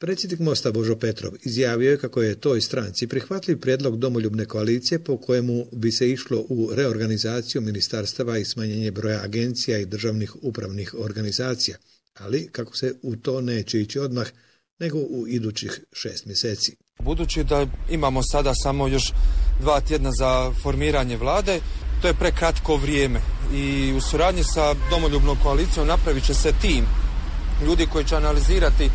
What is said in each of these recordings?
Predsjednik Mosta Božo Petrov izjavio je kako je toj stranci prihvatljiv prijedlog domoljubne koalicije po kojemu bi se išlo u reorganizaciju ministarstava i smanjenje broja agencija i državnih upravnih organizacija, ali kako se u to neće ići odmah, nego u idućih 6 mjeseci. Budući da imamo sada samo još 2 tjedna za formiranje vlade, to je prekratko vrijeme i u suradnji sa domoljubnom koalicijom napravit će se tim ljudi koji će analizirati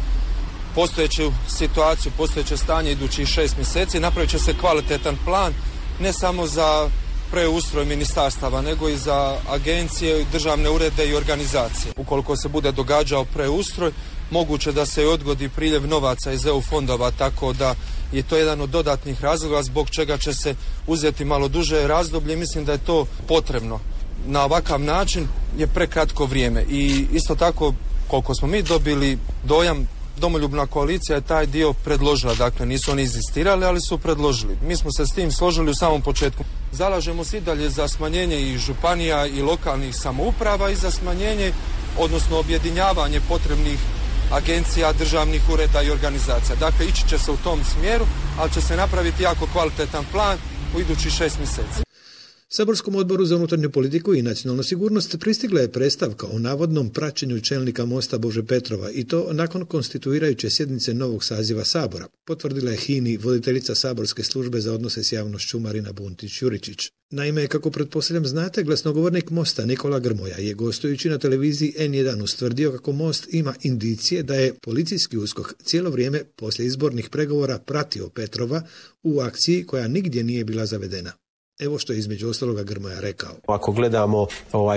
postojeću situaciju, postojeće stanje idućih 6 mjeseci, napravit će se kvalitetan plan ne samo za preustroj ministarstava, nego i za agencije, državne urede i organizacije. Ukoliko se bude događao preustroj, moguće da se odgodi priljev novaca iz EU fondova, tako da je to jedan od dodatnih razloga zbog čega će se uzeti malo duže razdoblje. Mislim da je to potrebno. Na ovakav način je prekratko vrijeme i isto tako koliko smo mi dobili dojam, domoljubna koalicija je taj dio predložila, dakle nisu oni inzistirali, ali su predložili. Mi smo se s tim složili u samom početku. Zalažemo se i dalje za smanjenje i županija i lokalnih samouprava i za smanjenje, odnosno objedinjavanje potrebnih agencija, državnih ureda i organizacija. Dakle, ići će se u tom smjeru, ali će se napraviti jako kvalitetan plan u idućih 6 mjeseci. Saborskom odboru za unutarnju politiku i nacionalnu sigurnost pristigla je predstavka o navodnom praćenju čelnika Mosta Bože Petrova i to nakon konstituirajuće sjednice novog saziva Sabora, potvrdila je HINA-i voditeljica saborske službe za odnose s javnošću Marina Buntić-Juričić. Naime, kako pretpostavljam znate, glasnogovornik Mosta Nikola Grmoja je gostujući na televiziji N1 ustvrdio kako Most ima indicije da je policijski USKOK cijelo vrijeme poslije izbornih pregovora pratio Petrova u akciji koja nigdje nije bila zavedena. Evo što je između ostaloga Grmoja rekao. Ako gledamo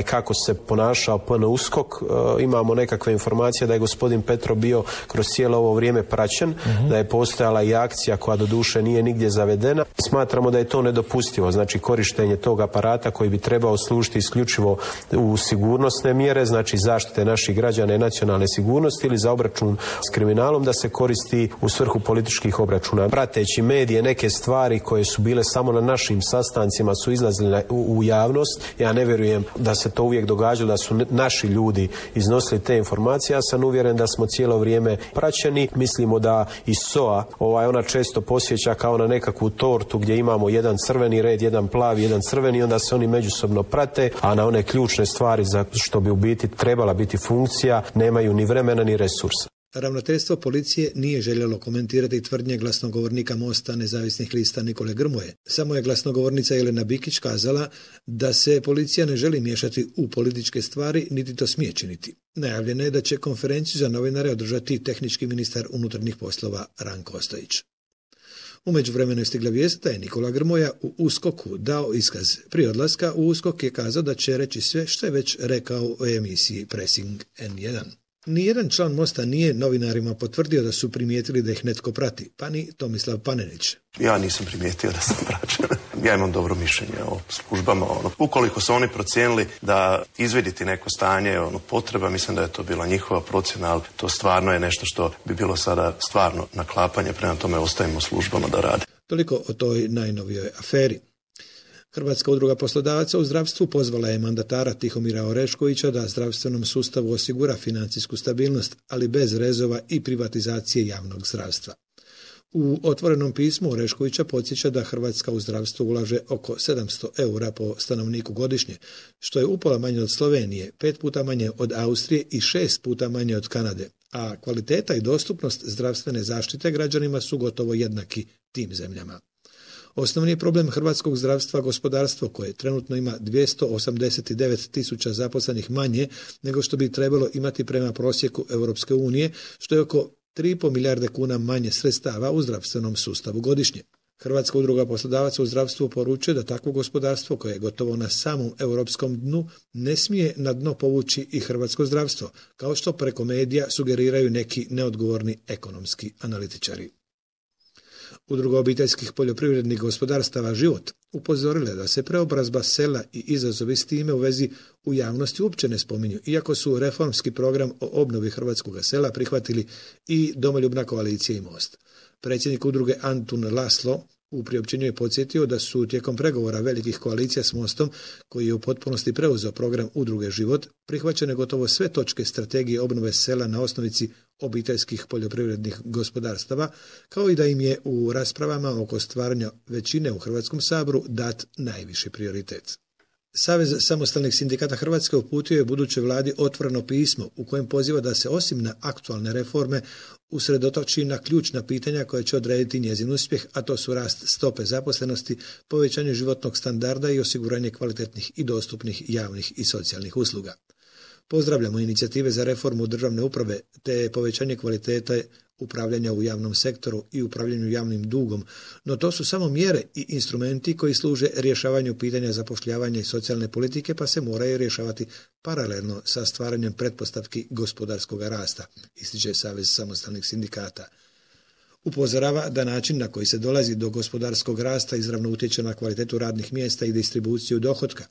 kako se ponašao PNUSKOK, imamo nekakve informacije da je gospodin Petrov bio kroz cijelo ovo vrijeme praćen, da je postojala i akcija koja doduše nije nigdje zavedena. Smatramo da je to nedopustivo, znači korištenje tog aparata koji bi trebao služiti isključivo u sigurnosne mjere, znači zaštite naših građana i nacionalne sigurnosti ili za obračun s kriminalom, da se koristi u svrhu političkih obračuna. Prateći medije, neke stvari koje su bile samo na našim sastancima su izlazili u javnost. Ja ne vjerujem da se to uvijek događalo, da su naši ljudi iznosili te informacije. Ja sam uvjeren da smo cijelo vrijeme praćeni. Mislimo da i SOA, ona često posjeća kao na nekakvu tortu gdje imamo jedan crveni red, jedan plavi, jedan crveni, onda se oni međusobno prate, a na one ključne stvari za što bi u biti trebala biti funkcija nemaju ni vremena ni resursa. Ravnateljstvo policije nije željelo komentirati tvrdnje glasnogovornika Mosta nezavisnih lista Nikole Grmoje. Samo je glasnogovornica Jelena Bikić kazala da se policija ne želi miješati u političke stvari, niti to smije činiti. Najavljeno je da će konferenciju za novinare održati tehnički ministar unutarnjih poslova Ranko Ostojić. U međuvremenu je stigla vijest da je Nikola Grmoja u USKOK-u dao iskaz. Prije odlaska u USKOK je kazao da će reći sve što je već rekao u emisiji Pressing N1. Nijedan član Mosta nije novinarima potvrdio da su primijetili da ih netko prati, pa ni Tomislav Panenić. Ja nisam primijetio da sam praćen. Ja imam dobro mišljenje o službama. Ukoliko su oni procijenili da izviditi neko stanje potreba, mislim da je to bila njihova procjena, ali to stvarno je nešto što bi bilo sada stvarno naklapanje, prema tome ostavimo službama da rade. Toliko o toj najnovijoj aferi. Hrvatska udruga poslodavaca u zdravstvu pozvala je mandatara Tihomira Oreškovića da zdravstvenom sustavu osigura financijsku stabilnost, ali bez rezova i privatizacije javnog zdravstva. U otvorenom pismu Oreškovića podsjeća da Hrvatska u zdravstvo ulaže oko 700 eura po stanovniku godišnje, što je upola manje od Slovenije, 5 puta manje od Austrije i 6 puta manje od Kanade, a kvaliteta i dostupnost zdravstvene zaštite građanima su gotovo jednaki tim zemljama. Osnovni je problem hrvatskog zdravstva gospodarstvo koje trenutno ima 289.000 zaposlenih manje nego što bi trebalo imati prema prosjeku Europske unije, što je oko 3,5 milijarde kuna manje sredstava u zdravstvenom sustavu godišnje. Hrvatska udruga poslodavaca u zdravstvu poručuje da takvo gospodarstvo koje je gotovo na samom europskom dnu ne smije na dno povući i hrvatsko zdravstvo, kao što preko medija sugeriraju neki neodgovorni ekonomski analitičari. Udruga obiteljskih poljoprivrednih gospodarstava Život upozorila da se preobrazba sela i izazovi s time u vezi u javnosti uopće ne spominju, iako su reformski program o obnovi hrvatskog sela prihvatili i Domoljubna koalicija i Most. Predsjednik udruge Antun Laslo U priopćenju je podsjetio da su tijekom pregovora velikih koalicija s Mostom, koji je u potpunosti preuzeo program Udruge Život, prihvaćene gotovo sve točke strategije obnove sela na osnovici obiteljskih poljoprivrednih gospodarstava, kao i da im je u raspravama oko stvaranja većine u Hrvatskom saboru dat najviši prioritet. Savez samostalnih sindikata Hrvatske uputio je budućoj vladi otvoreno pismo u kojem poziva da se osim na aktualne reforme usredotoči na ključna pitanja koja će odrediti njezin uspjeh, a to su rast stope zaposlenosti, povećanje životnog standarda i osiguranje kvalitetnih i dostupnih javnih i socijalnih usluga. Pozdravljamo inicijative za reformu državne uprave te povećanje kvalitete upravljanja u javnom sektoru i upravljanju javnim dugom, no to su samo mjere i instrumenti koji služe rješavanju pitanja zapošljavanja i socijalne politike, pa se moraju rješavati paralelno sa stvaranjem pretpostavki gospodarskog rasta, ističe Savez samostalnih sindikata. Upozorava da način na koji se dolazi do gospodarskog rasta izravno utječe na kvalitetu radnih mjesta i distribuciju dohotka.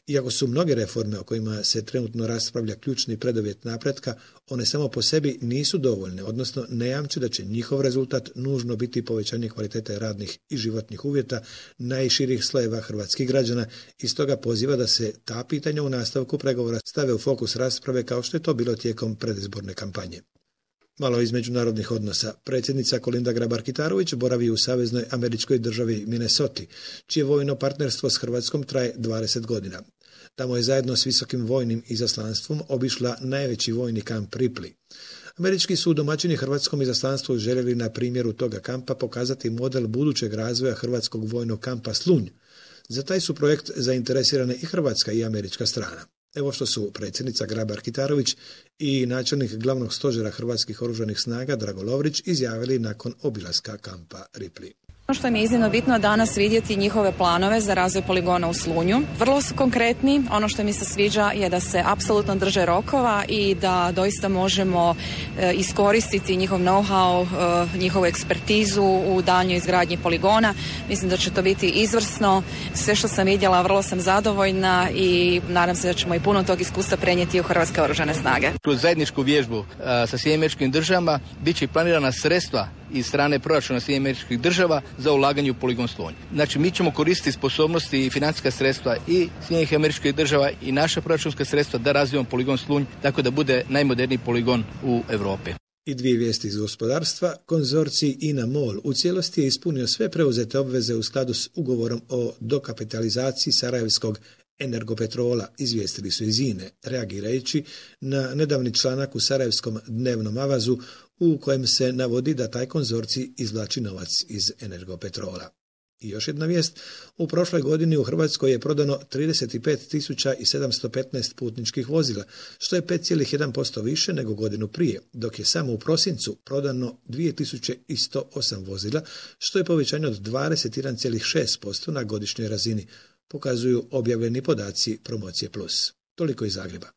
Iako su mnoge reforme o kojima se trenutno raspravlja ključni preduvjet napretka, one samo po sebi nisu dovoljne, odnosno ne jamče da će njihov rezultat nužno biti povećanje kvalitete radnih i životnih uvjeta najširih slojeva hrvatskih građana i stoga poziva da se ta pitanja u nastavku pregovora stave u fokus rasprave kao što je to bilo tijekom predizborne kampanje. Malo iz međunarodnih odnosa. Predsjednica Kolinda Grabar-Kitarović boravi u saveznoj američkoj državi Minnesota, čije vojno partnerstvo s Hrvatskom traje 20 godina. Tamo je zajedno s visokim vojnim izaslanstvom obišla najveći vojni kamp Ripley. Američki su domaćini hrvatskom izaslanstvu željeli na primjeru toga kampa pokazati model budućeg razvoja hrvatskog vojnog kampa Slunj. Za taj su projekt zainteresirane i hrvatska i američka strana. Evo što su predsjednica Grabar-Kitarović i načelnik glavnog stožera Hrvatskih oružanih snaga Drago Lovrić izjavili nakon obilaska kampa Ripley. Ono što mi je iznimno bitno danas vidjeti njihove planove za razvoj poligona u Slunju. Vrlo su konkretni. Ono što mi se sviđa je da se apsolutno drže rokova i da doista možemo iskoristiti njihov know-how, njihovu ekspertizu u daljnjoj izgradnji poligona. Mislim da će to biti izvrsno. Sve što sam vidjela, vrlo sam zadovoljna i nadam se da ćemo i puno tog iskustva prenijeti u Hrvatske oružane snage. Kroz zajedničku vježbu sa SAD-om bit će i planirana sredstva iz strane proračuna SAD-a za ulaganje u poligon Slunj. Znači, mi ćemo koristiti sposobnosti i financijska sredstva i SAD-a i naša proračunska sredstva da razvijemo poligon Slunj tako da bude najmoderniji poligon u Europi. I dvije vijesti iz gospodarstva. Konzorcij INA-MOL u cijelosti je ispunio sve preuzete obveze u skladu s ugovorom o dokapitalizaciji Sarajevskog Energopetrola, izvijestili su iz INA-e, reagirajući na nedavni članak u Sarajevskom dnevnom avazu u kojem se navodi da taj konzorcij izvlači novac iz Energopetrola. I još jedna vijest, u prošloj godini u Hrvatskoj je prodano 35.715 putničkih vozila, što je 5,1% više nego godinu prije, dok je samo u prosincu prodano 2.108 vozila, što je povećanje od 21,6% na godišnjoj razini, pokazuju objavljeni podaci Promocije Plus. Toliko iz Zagreba.